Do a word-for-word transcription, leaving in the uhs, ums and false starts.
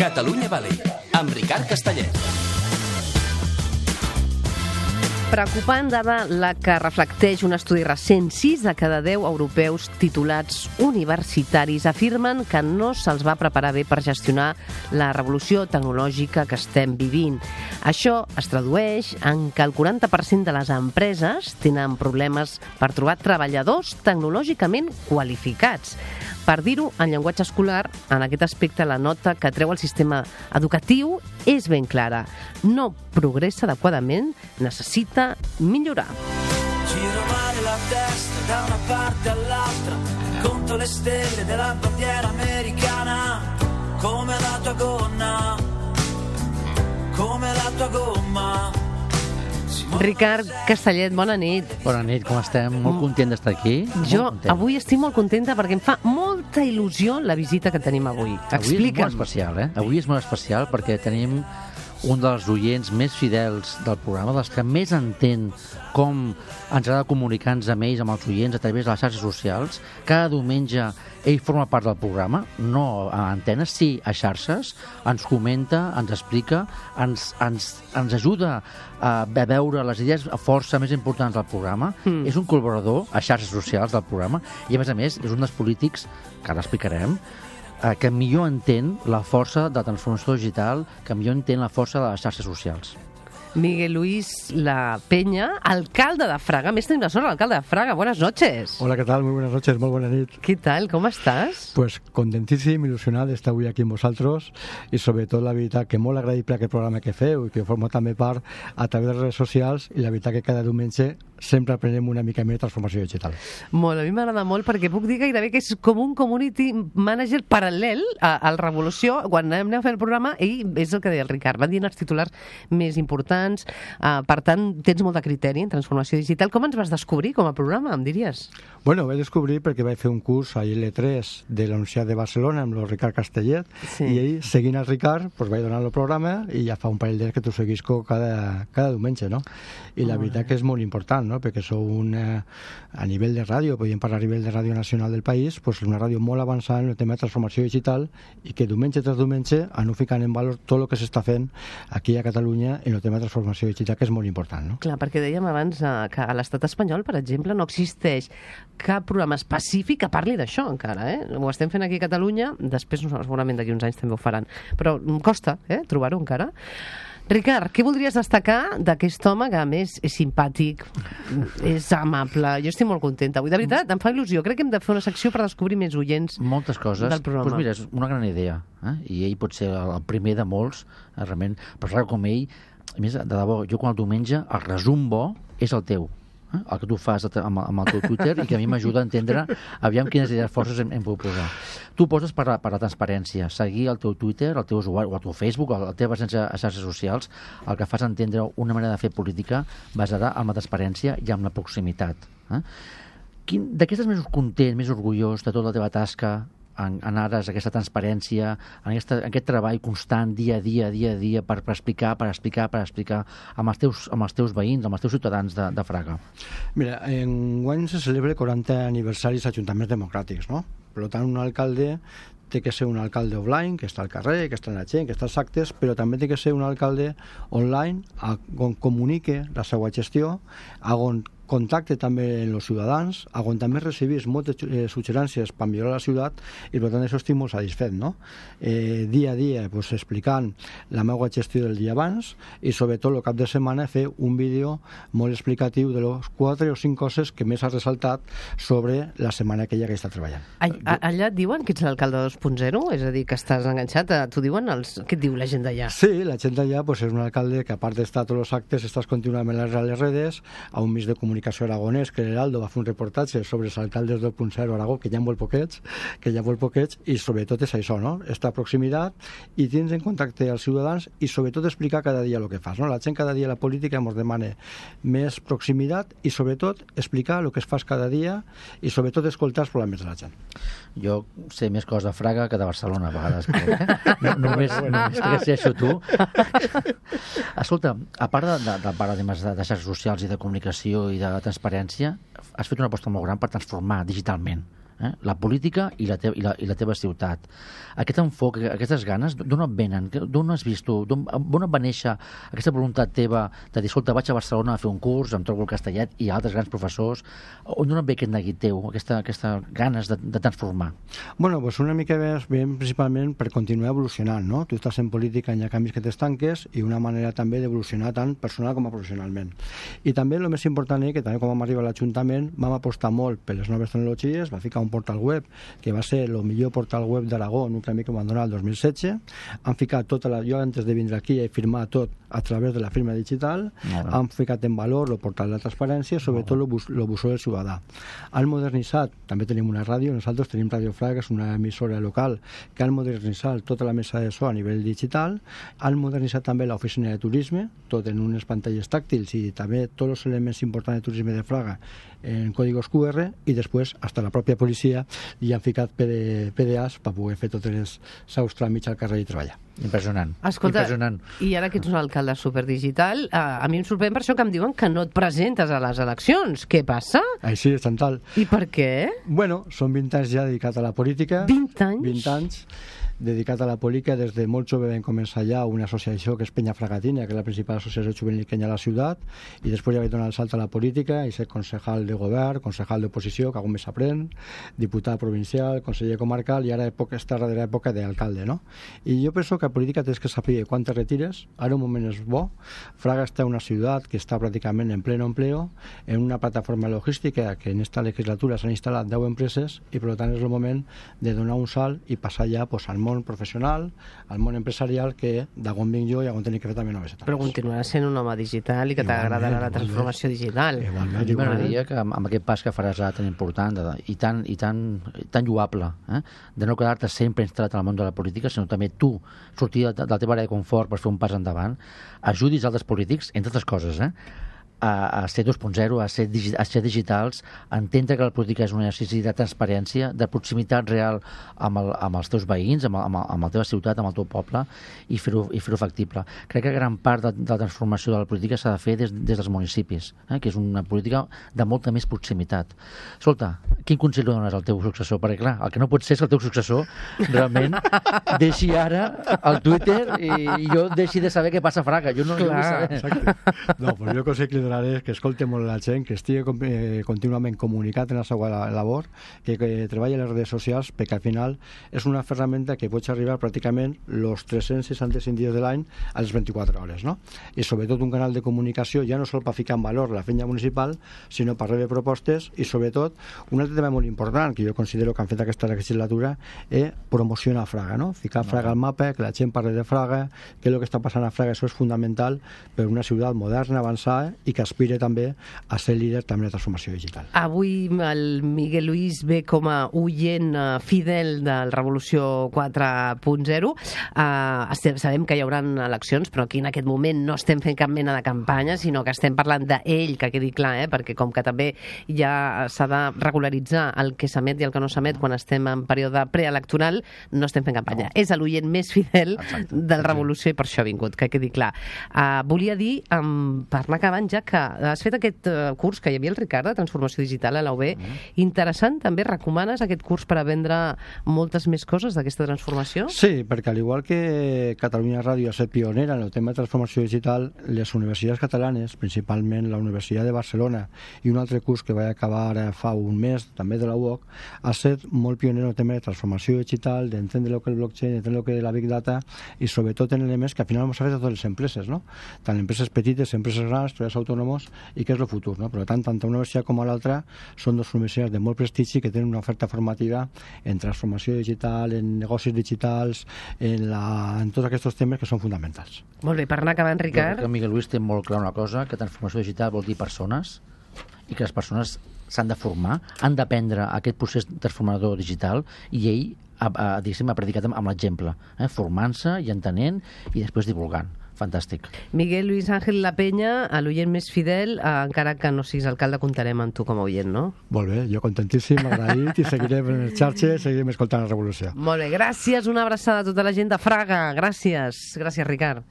Catalunya Valley, amb Ricard Castellet. Preocupant dada la que reflecteix un estudi recent. sis de cada deu europeus titulats universitaris afirmen que no se'ls va preparar bé per gestionar la revolució tecnològica que estem vivint. Això es tradueix en que el quaranta per cent de les empreses tenen problemes per trobar treballadors tecnològicament qualificats. Per dir-ho en llenguatge escolar, en aquest aspecte la nota que treu el sistema educatiu és ben clara. No progressa adequadament, necessita millorar. Giro male la testa da una parte all'altra, conto le stelle della bandiera americana, come la tua gonna, come la tua gomma. Ricard Castellet, bona nit. Bona nit, com estem? Molt content d'estar aquí. Jo avui estic molt contenta perquè em fa molta il·lusió la visita que tenim avui. Explica'm. Avui és molt especial, eh? Avui és molt especial perquè tenim un dels oients més fidels del programa, dels que més entén com ens ha de comunicar-nos amb ells, amb els oients, a través de les xarxes socials. Cada diumenge ell forma part del programa, no a antenes, sí a xarxes, ens comenta, ens explica, ens, ens, ens ajuda a veure les idees a força més importants del programa. Mm. És un col·laborador a xarxes socials del programa i, a més a més, és un dels polítics, que ara explicarem, que millor entén la força de la transformació digital, que millor entén la força de les xarxes socials. Miguel Luis La Peña, alcalde de Fraga. Més tenim la sort, alcalde de Fraga. Buenas noches. Hola, ¿qué tal? Muy buenas noches, muy buena nit. ¿Qué tal? ¿Cómo estàs? Pues contentíssim, il·lusionat d'estar avui aquí amb vosaltres i sobretot la veritat que molt agraïble aquest programa que feu i que formo també part a través de les redes socials i la veritat que cada diumenge sempre aprenem una mica més de transformació digital. Molt, a mi m'agrada molt perquè puc dir gairebé que és com un community manager paral·lel a, al Revolució. Quan anem a fer el programa, ell és el que deia el Ricard, van dient els titulars més importants. Uh, per tant, tens molt de criteri en transformació digital. Com ens vas descobrir com a programa, em diries? Bueno, vaig descobrir perquè vaig fer un curs a L tres de la Universitat de Barcelona amb el Ricard Castellet, sí. I ell, seguint el Ricard, pues, vaig donar el programa i ja fa un parell d'anys que t'ho seguisco cada, cada diumenge, no? I la oh, veritat eh. que és molt important, no? Perquè sou una, a nivell de ràdio, podríem parlar a nivell de ràdio nacional del país, pues, una ràdio molt avançada en el tema de transformació digital i que diumenge tras diumenge aneu ficant en valor tot el que s'està fent aquí a Catalunya en el tema de transformació digital, que és molt important, no? Clar, perquè dèiem abans eh, que a l'estat espanyol, per exemple, no existeix cap programa específic que parli d'això encara, eh? Ho estem fent aquí a Catalunya, després segurament d'aquí uns anys també ho faran, però costa, eh, trobar-ho encara. Ricard, què voldries destacar d'aquest home que a més és simpàtic, és amable? Jo estic molt contenta avui. De veritat, em fa il·lusió. Crec que hem de fer una secció per descobrir més oients moltes coses del programa. Pues mira, és una gran idea, eh? I ell pot ser el primer de molts, eh, realment, però clar, com ell, a més, de debò, jo quan el diumenge el resum bo és el teu, eh? El que tu fas amb, amb el teu Twitter i que a mi m'ajuda a entendre aviam quines idees forces hem, hem pogut posar. Tu poses per la, per la transparència, seguir el teu Twitter, el teu usuari, o el teu Facebook, la teva presència a xarxes socials, el que fas entendre una manera de fer política basada en la transparència i en la proximitat. Eh? Quin, de què estàs més content, més orgullós de tota la teva tasca en, en ares aquesta transparència, en, aquesta, en aquest treball constant, dia a dia, dia a dia, per, per explicar, per explicar, per explicar amb els teus, amb els teus veïns, amb els teus ciutadans de, de Fraga? Mira, enguany se celebra el quaranta aniversaris d'ajuntaments democràtics, no? Per tant, un alcalde té que ser un alcalde offline, que està al carrer, que està en la gent, que està als actes, però també té que ser un alcalde online on comunique la seva gestió, on contacte també amb els ciutadans, on també recibís moltes eh, suggerències per millorar la ciutat i per tant això estic molt satisfet, no? Eh, dia a dia pues, explicant la meva gestió del dia abans i sobretot el cap de setmana fer un vídeo molt explicatiu de les quatre o cinc coses que més ha ressaltat sobre la setmana aquella que està treballant. Allà, allà et diuen que ets l'alcalde dos punt zero? És a dir, que estàs enganxat? T'ho diuen els... Què et diu la gent d'allà? Sí, la gent d'allà pues, és un alcalde que a part d'estar a tots els actes estàs contínuament a les redes, a un mig de comunicació aragonès, que l'Heraldo va fer un reportatge sobre els alcaldes dos punt zero a Aragó, que hi ha molt poquets, que hi ha molt poquets, i sobretot és això, no? Esta proximitat i tens en contacte als ciutadans i sobretot explicar cada dia el que fas, no? La gent cada dia a la política ens demana més proximitat i sobretot explicar el que es fas cada dia i sobretot escoltar els problemes de la gent. Jo sé més coses de Fraga que de Barcelona a vegades, eh? no, només, només que sé això tu. Escolta, a part de, de, de paradigmes de, de xarxes socials i de comunicació i de transparència, has fet una aposta molt gran per transformar digitalment eh? La política i la, teva, i, la, i la teva ciutat. Aquest enfoc, aquestes ganes, d'on et venen? D'on has vist tu? D'on va néixer aquesta voluntat teva de dir, escolta, vaig a Barcelona a fer un curs, em trobo el Castellet i altres grans professors? On d'on et ve aquest neguit teu, aquesta, aquesta ganes de, de transformar? Bueno, pues una mica més ben principalment per continuar evolucionant, no? Tu estàs en política, hi ha canvis que t'estanques i una manera també d'evolucionar tant personal com a professionalment. I també el més important és que també quan vam arribar a l'Ajuntament vam apostar molt per les noves tecnologies, va ficar un portal web que va ser el millor portal web d'Aragó en un premi que vam donar el dos mil setze. Han ficat tota la... Jo antes de vindre aquí he firmat tot a través de la firma digital, no. Han ficat en valor el portal de la transparència, sobretot el bus, buzó del ciutadà. Han modernitzat, també tenim una ràdio, nosaltres tenim Ràdio Fraga, que és una emissora local, que han modernitzat tota la mesa de so a nivell digital, han modernitzat també l'oficina de turisme, tot en unes pantalles tàctils i també tots els elements importants de turisme de Fraga en códigos cu erre, i després hasta la pròpia policia li han ficat P D As per poder fer tots els seus tràmits al carrer i treballar. Impressionant. Escolta, Impressionant. I ara que ets un alcalde superdigital, a, a mi em sorprèn per això que em diuen que no et presentes a les eleccions. Què passa? Així, és tal. I per què? Bueno, són vint anys ja dedicat a la política. vint anys? vint anys dedicat a la política. Des de molt jove vam començar ja una associació que és Penya Fragatina, que és la principal associació juvenil que hi ha a la ciutat, i després ja vaig donar el salt a la política i ser concejal de govern, concejal d'oposició, que algun més s'aprèn, diputat provincial, conseller comarcal, i ara època, està a darrera època d'alcalde, no? I jo penso que a política tens que saber quan te retires. Ara un moment és bo. Fraga està en una ciutat que està pràcticament en pleno empleo, en una plataforma logística que en esta legislatura s'han instal·lat deu empreses, i per tant és el moment de donar un salt i passar ja pues, al món professional, al món empresarial, que d'on vinc jo i on tenir que fer també noves etapes. Però continuaràs sent un home digital i que t'agradarà la transformació digital. Igualment, Jo m'agradaria que amb, amb aquest pas que faràs ara tan important de, i, tan, i tan, tan lloable, eh? de no quedar-te sempre instal·lat en el món de la política, sinó també tu sortir de, de la teva àrea de confort per fer un pas endavant, ajudis altres polítics, entre altres coses, eh? a, a ser dos punt zero, a ser, digi, a ser digitals, a entendre que la política és un exercici de transparència, de proximitat real amb, el, amb els teus veïns, amb, amb, amb la teva ciutat, amb el teu poble, i fer-ho i fer-ho factible. Crec que gran part de, de la transformació de la política s'ha de fer des, des dels municipis, eh? que és una política de molta més proximitat. Escolta, quin consell li dones al teu successor? Perquè, clar, el que no pot ser és que el teu successor realment deixi ara el Twitter i, i jo deixi de saber què passa a Fraga. Jo no, no vull saber. Exacte. No, però jo consell que li donaré és que escolti molt la gent, que estigui eh, contínuament comunicat en la seva labor, que, que treballi a les redes socials, perquè al final és una ferramenta que pots arribar pràcticament els tres-cents seixanta-cinc dies de l'any a les vint-i-quatre hores, no? I sobretot un canal de comunicació, ja no sol per ficar en valor la feina municipal, sinó per rebre propostes, i sobretot un altre tema molt important que jo considero que han fet aquesta legislatura és promocionar Fraga, no? Ficar Fraga al mapa, que la gent parli de Fraga, què és el que està passant a Fraga. Això és fundamental per una ciutat moderna, avançada, i que aspira també a ser líder també de transformació digital. Avui el Miguel Luis ve com a oient fidel del Revolució quatre punt zero. Uh, estem, sabem que hi haurà eleccions, però aquí en aquest moment no estem fent cap mena de campanya, sinó que estem parlant d'ell, que quedi clar, eh? Perquè com que també ja s'ha de regularitzar el que s'emet i el que no s'emet quan estem en període preelectoral, no estem fent campanya. No. És l'oient més fidel Exacte. Del Revolució i per això ha vingut, que quedi clar. Uh, volia dir, um, per anar acabant ja, que has fet aquest uh, curs que hi havia el Ricard de Transformació Digital a la U B. Mm. Interessant, també recomanes aquest curs per aprendre moltes més coses d'aquesta transformació? Sí, perquè al igual que Catalunya Ràdio ha estat pionera en el tema de transformació digital, les universitats catalanes, principalment la Universitat de Barcelona i un altre curs que vaig acabar ara fa un mes, també de la U O C, ha estat molt pioner en el tema de transformació digital, d'entendre el que és el blockchain, d'entendre el que és la big data, i sobretot en elements que al final ens ha fet a totes les empreses, no? Tant empreses petites, empreses grans, treballadors autònoms, i que és el futur, no? Per tant, tant una universitat com l'altra són dues universitats de molt prestigi que tenen una oferta formativa en transformació digital, en negocis digitals, en, la, en tots aquests temes que són fonamentals. Molt bé, per anar acabant, Ricard. Jo crec que Miguel Luis té molt clar una cosa, que transformació digital vol dir persones, i que les persones s'han de formar, han d'aprendre aquest procés transformador digital, i ell ha, ha, ha predicat amb, amb l'exemple, eh? formant-se i entenent i després divulgant. Fantàstic. Miguel Luis Ángel La Peña, l'oient més fidel, eh, encara que no siguis alcalde, comptarem amb tu com a oient, no? Molt bé, jo contentíssim, agraït, i seguirem en les xarxes, seguirem escoltant la Revolució. Molt bé, gràcies, una abraçada a tota la gent de Fraga, gràcies, gràcies Ricard.